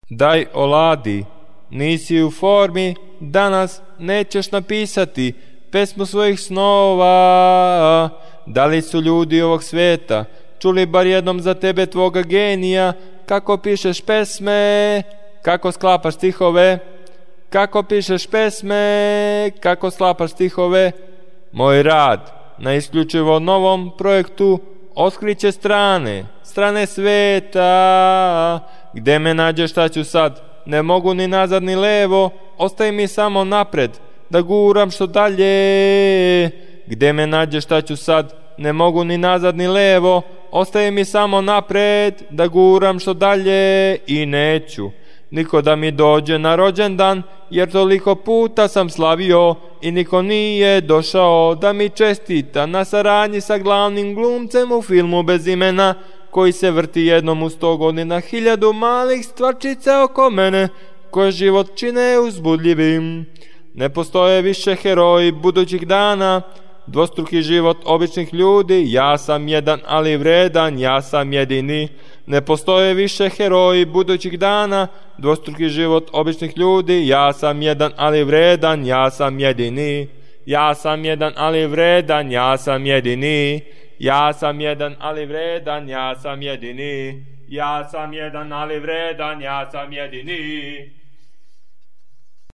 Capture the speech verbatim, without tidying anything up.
Daj oladi, nisi u formi, danas nećeš napisati pesmu svojih snova. Da li su ljudi ovog sveta čuli bar jednom za tebe tvoga genija, kako pišeš pesme, kako sklapaš stihove, kako pišeš pesme, kako sklapaš stihove. Moj rad na isključivo novom projektu otkriće strane, strane sveta. Gde me nađeš, šta ću sad? Ne mogu ni nazad ni levo, ostaje mi samo napred, da guram što dalje. Gde me nađeš, šta ću sad? Ne mogu ni nazad ni levo, ostaje mi samo napred, da guram što dalje. I neću niko da mi dođe na rođendan, jer toliko puta sam slavio i niko nije došao da mi čestita na saradnji sa glavnim glumcem u filmu bez imena, koji se vrti jednom u sto godina, hiljadu malih stvarčica oko mene, koje život čine uzbudljivim. Ne postoje više heroji budućih dana, dvostruki život običnih ljudi, ja sam jedan ali vredan, ja sam jedini. Ne postoje više heroji budućih dana, dvostruki život običnih ljudi, ja sam jedan ali vredan, ja sam jedini. Ja sam jedan ali vredan, ja sam jedini. Ja sam jedan ali vredan, ja sam jedini. Ja sam jedan ali vredan, ja sam jedini.